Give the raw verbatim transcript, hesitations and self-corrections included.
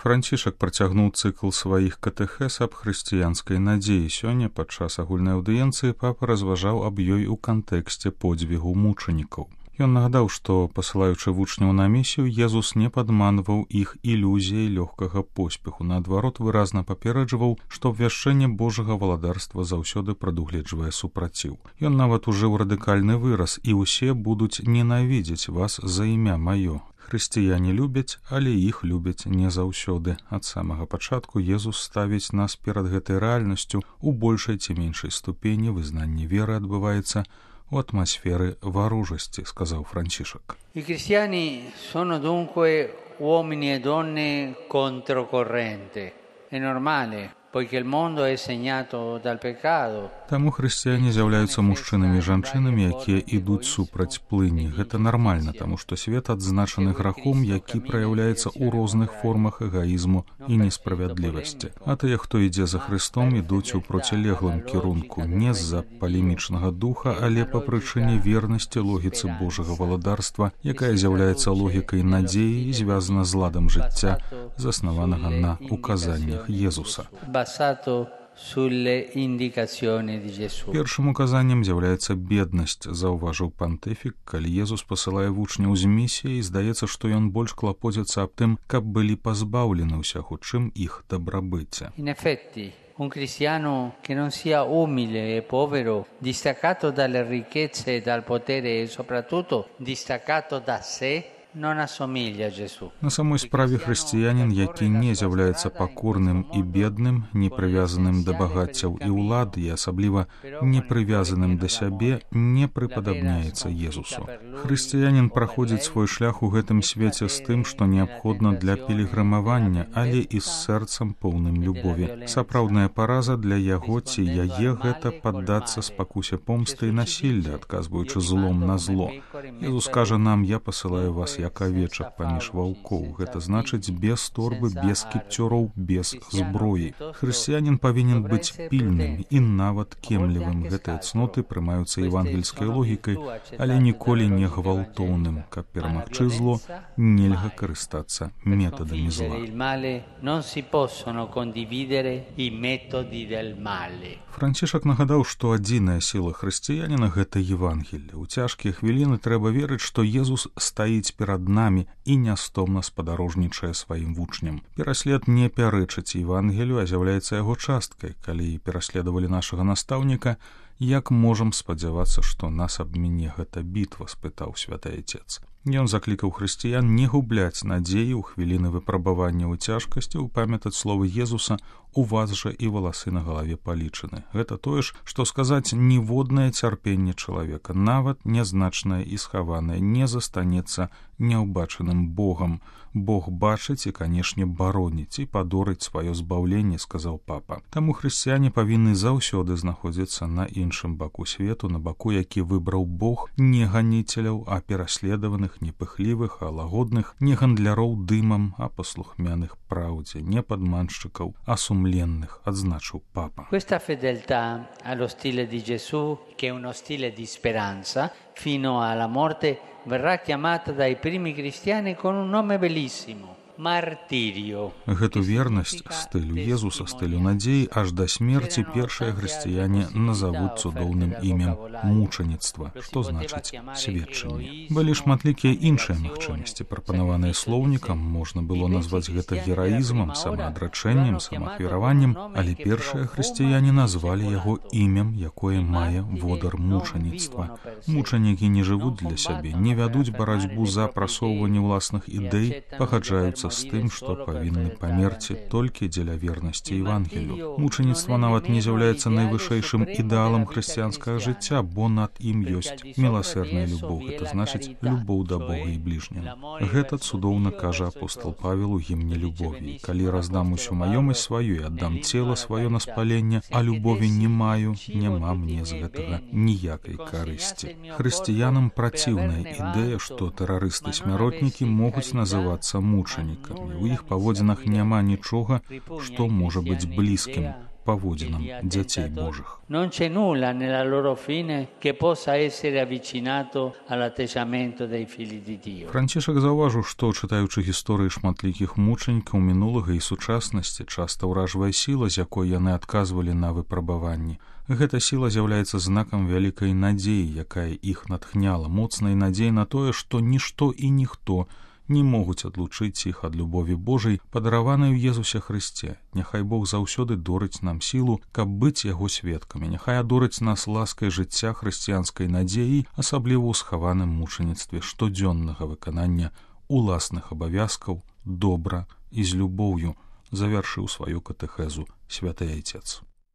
Францішак працягнуў цыкл сваіх катэхез аб хрысціянскай надзеі. Сёння падчас агульнай аўдыенцыі папа разважаў аб ёй у кантэксце подзвігу мучанікаў. Ён нагадаў, што, пасылаючы вучняў на місію, Езус не падманваў іх ілюзіяй лёгкага поспеху. Наадварот, выразна папераджваў, што абвяшчэнне Божага валадарства заўсёды прадугледжвае супраціў. Ён нават ужыў радыкальны выраз: «І ўсе будуць ненавідзець вас за імя маё». Хрысціяне любяць, але іх любяць не заўсёды. Ад самага пачатку Езус ставіць нас перад гэтай рэальнасцю. У большай ці меншай ступені вызнанне веры адбываецца у атмасферы варожасці, сказаў Францішак. I cristiani sono dunque uomini e donne controcorrente. È normale, poiché il mondo è segnato dal peccato. Таму хрысціяне з'яўляюцца мужчынамі і жанчынамі, якія ідуць супраць плыні. Гэта нармальна, таму што свет адзначаны грахом, які праяўляецца ў розных формах эгаізму і несправядлівасці. А тыя, хто ідзе за Хрыстом, ідуць у процілеглым кірунку, не з-за палемічнага духа, але па прычыне вернасці логіцы Божага валадарства, якая з'яўляецца логікай надзеі і звязана з ладам жыцця, заснаванага на указаннях Езуса. Першым указаннем з'яўляецца беднасць, заўважыў пантыфік. Калі Езус пасылае вучняў з місіяй, здаецца, што ён больш клапоціцца аб тым, каб былі пазбаўлены ўсяго, чым іх дабрабыцця. In effetti, un cristiano che non sia umile e povero, distaccato dalle ricchezze e dal potere e soprattutto distaccato da sé, non assomiglia a Gesù. На самой справе хрысціянін, які не з'яўляецца пакорным і бедным, не прывязаным да багаццяў і ўлады, і асабліва не прывязаным да сябе, не прыпадабняецца Езусу. Хрысціянін праходзіць свой шлях у гэтым свеце з тым, што неабходна для пілігрымавання, але і з сэрцам поўным любові. Сапраўдная параза для яго ці яе гэта паддацца спакусе помсты і насілля, адказваючы злом на зло. Езус кажа нам: «Я пасылаю вас як авечак паміж ваўкоў». Гэта значыць без торбы, без кіпцёраў, без зброі. Хрысціянін павінен быць пільным і нават кемлівым. Гэтыя цноты прымаюцца евангельскай логікай, але ніколі не гвалтоўным. Каб перамагчы зло, нельга карыстацца метадамі зла. Францішак нагадаў, што адзіная сіла хрысціяніна — гэта Евангелле. У цяжкія хвіліны трэба верыць, што Езус стаіць перад намі і нястомна спадарожнічае сваім вучням. Пераслед не пярэчыць Евангелію, а з'яўляецца яго часткай. Калі пераследавалі нашага настаўніка, як можам спадзявацца, што нас абміне гэта бітва, спытаў святы Отец. Ён заклікаў хрысціян не губляць надзеі ў хвіліны выпрабавання ў цяжкасці, упамятаць словы Езуса: «У вас жа і валасы на галаве палічаны». Гэта тое ж, што сказаць, ніводнае цярпенне чалавека, нават нязначнае і схаванае, не застанецца няўбачаным Богам. Бог бачыць і, канешне, бароніць і падорыць сваё збаўленне, сказаў папа. Таму хрысціяне павінны заўсёды знаходзіцца на іншым баку свету, на баку, які выбраў Бог, не ганіцеляў, а пераследаваных, не пыхлівых, а лагодных, не гандляроў дымам, а паслухмяных праўдзе, не падманшчыкаў, а сумленных, адзначыў папа. Questa fedeltà allo stile di Gesù, che è uno stile di speranza, fino alla morte, verrà chiamata dai primi cristiani con un nome bellissimo: Martirio. Гэту вернасць стылю Езуса, стылю надзеі, аж да смерці першыя хрысціяне назавуць цудоўным імем мучаніцтва, што значыць сведчанне. Былі шматлікія іншыя магчымасці, прапанаваныя слоўнікам. Можна было назваць гэта гераізмам, самаадрачэннем, самаахвяраваннем, але першыя хрысціяне назвалі яго імем, якое мае водар мучаніцтва. Мучанікі не жывуць для сябе, не вядуць барацьбу за прасоўванне ўласных ідэй, пагаджаюцца з тым, што павінны памерці толькі дзеля вернасці Евангелію. Мучаніцтва нават не з'яўляецца найвышэйшым ідэалам хрысціянскага жыцця, бо над ім ёсць міласэрная любоў. Гэта значыць любоў да Бога і бліжняга. Гэта цудоўна кажа апостол Павел у гімне любові: «Калі раздам усю маёмасць сваю і аддам цела сваё на спаленне, а любові не маю, няма мне з гэтага ніякай карысці». Хрысціянам праціўная ідэя, што тэрарысты-смяротнікі могуць называцца мучанікамі. У іх паводзінах няма нічога, што можа быць блізкім паводзінам дзяцей Божых. Non c'è nulla nella loro fine che possa essere avvicinato all'atteggiamento dei figli di Dio. Францішак заўважыў, што, чытаючы гісторыі шматлікіх мучанікаў мінулага і сучаснасці, часта ўражвае сіла, з якой яны адказвалі на выпрабаванні. Гэта сіла з'яўляецца знакам вялікай надзеі, якая іх натхняла, моцнай надзеі на тое, што нішто і ніхто не могуць адлучыць іх ад любові Божай, падараванай у Езусе Хрысце. Няхай Бог заўсёды дорыць нам сілу, каб быць яго сведкамі. Няхай адорыць нас ласкай жыцця хрысціянскай надзеі, асабліва ў схаваным мучаніцтве штодзённага выканання уласных абавязкаў добра і з любоўю, завяршыў сваю катэхезу святы Айцец.